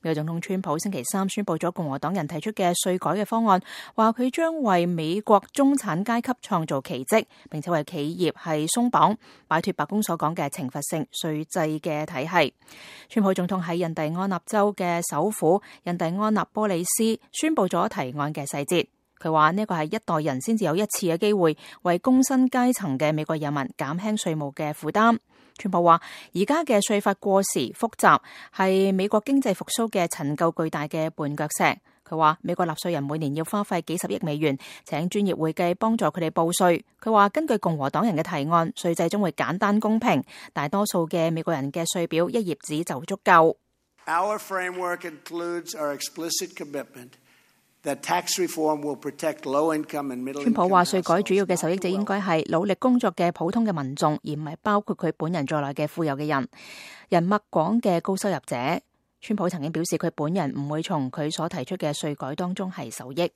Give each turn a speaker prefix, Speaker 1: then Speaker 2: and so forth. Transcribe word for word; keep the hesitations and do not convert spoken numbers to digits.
Speaker 1: 美國總統川普星期三宣布咗共和黨人提出嘅稅改嘅方案，話佢將為美國中產階級創造奇蹟，並且為企業係鬆綁，擺脫白宮所講嘅懲罰性稅制嘅體系。川普總統喺印第安納州嘅首府印第安納波利斯宣布咗提案嘅細節。佢話呢個係一代人先至有一次嘅機會，為工薪階層嘅美國人民減輕稅務嘅負擔。川普話而家嘅稅法過時複雜，係美國經濟復甦嘅陳舊巨大嘅絆腳石。佢話美國納稅人每年要花費幾十億美元，請專業會計幫助佢哋報稅。佢話根據共和黨人嘅提案，稅制將會簡單公平，大多數嘅美國人嘅稅表一頁紙就足夠。
Speaker 2: Our framework includes our explicit commitment that tax reform will protect low-income and middle-income households. 川普話稅改主要嘅受益者應該係努力工作嘅普通嘅民眾，而唔係包括佢本人在內嘅富有嘅人、人脈廣嘅高收入者。川普曾經表示佢本人唔會從佢所提出嘅稅改當中係受益。